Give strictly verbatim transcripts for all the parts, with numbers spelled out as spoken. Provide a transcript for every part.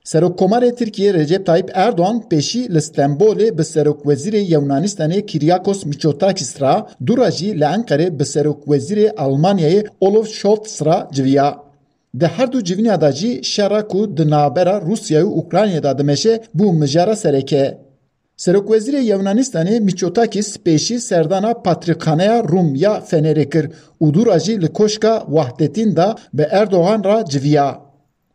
Serokkomarê Tirkiyê Recep Tayyip Erdoğan pêşî li Stenbolê bi Serokwezîrê Yewnanistanê Kyriakos Mitsotakis re, dû re jî li Enqerê bi Serokwezîrê Almanyayê Olaf Scholz re civiya. Di her du civîna de jî şera ku di navbera Rûsyayê û Ukraynayê de dimeşe bû mijara sereke. Serokwezîrê Yewnanistanê Mitsotakis pêşî serdana Patrîkxaneya Rûm ya Fenerê kir û dû re jî li Koşka Wahdetîn de bi Erdogan re civiya.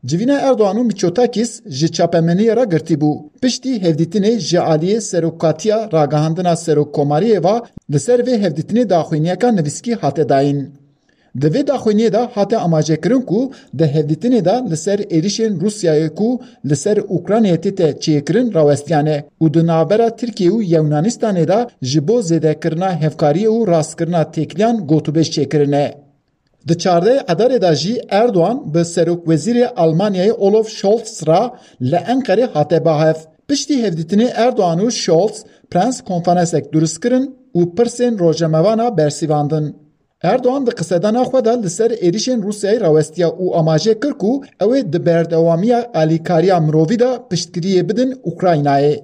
Civîna Erdogan û Mitsotakis ji çapemeniyê re girtî bû. Piştî hevdîtinê ji aliyê Serokatiya Ragihandina Serokkomariyê ve li ser vê hevdîtinê daxuyaniyeka nivîskî hate dayîn. Di vê daxuyaniyê de hate amajekirin ku di hevdîtinê de li ser êrişên Rûsyayê ku li ser Ukraynayê tête çêkirin rawestiyane û di navbera Tirkiye û Yewnanistanê de ji bo zêdekirina hevkariyê û rastkirina têkiliyan gotûbêj çêkirine. Di çardeh Edarê de jî Erdogan bi Serokwezîrê Almanyayê Olaf Scholz re li Enqerê hate ba hev. Piştî hevdîtinê Erdogan û Scholz prens konferansek durust kirin û pirsên rojnamevana bersivandin. Erdogan di qisedana xwe de li ser êrişên Rûsyayê rawestiya û amaje kir ku ew ê di berdewamiya alîkariya mirovî de piştgiriyê bidin Ukraynayê.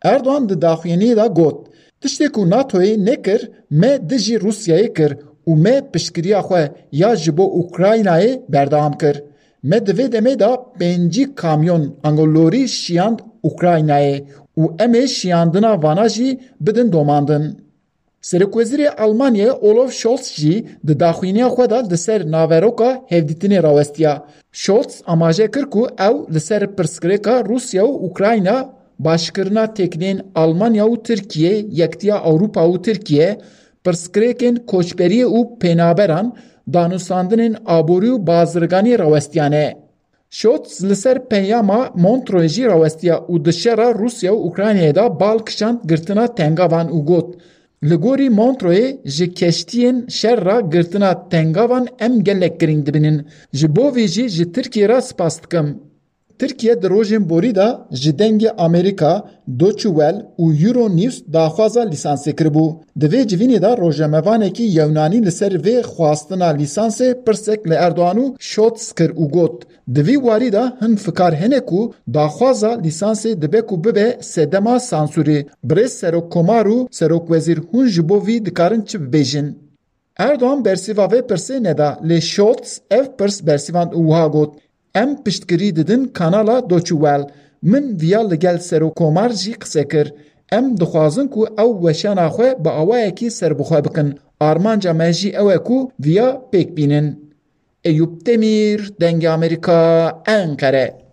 Erdogan di daxuyaniyê de got, Tiştê ku NATOyê nekir, me dijî Rûsyayê kir û me piştgiriya xwe ya ji bo Ukraynayê berdewam kir. Me di vê demê de pêncî kamyon ango lorî şiyand Ukraynayê û em ê şiyandina vana jî bidin domandin. Serokwezîrê Almanyayê Olaf Scholz jî di daxuyaniya xwe de li ser naveroka hevdîtinê rawestiya. Scholz amaje kir ku ew li ser pirsgirêka Rûsya û Ukrayna, başkirina têkiliyên Almanya û Tirkiye, Yektiya Ewropa û Tirkiye, pirsgirêkên koçberiyê û pênaberan, danûstandinên aborî û bazirganiyê rawestiyane. Scholz li ser peyama Montreux jî rawestiya û di şera Rûsya û Ukraynayê de bal kişand girtina tengavan û got, Li gorî Montreuxê ji keştiyên şer re girtina tengavan em gelek girîng dibînin. Ji bo vî jî ji Tirkiyê re spas dikim. Tirkiye di rojên borî de ji Dengê Amerîka, Deutsche Welle û Euronews daxwaza lîsansê kiribû. Di vê civînê de rojnamevanekî Yewnanî li ser vê xwastina lîsansê pirsek li Erdogan û Scholz kir û got, Di vî warî de hin fikar hene ku daxwaza lîsansê dibe ku bibe sedema sansûrê. Birêz Serokkomar û Serokwezîr hûn ji bo vî dikarin çi bibêjin? Erdogan bersiva vê pirsê neda, lê Scholz ev pirs bersivand û wiha got, Em piştgirî didin kanala Deutsche Welle. Min viya li gel Serokkomar jî qise kir. Em dixwazin ku ew weşana xwe bi awayekî serbixwe bikin. Armanca me jî ew e ku viya pêk bînin. Eyûp Demîr, Dengê Amerîka, Enqere.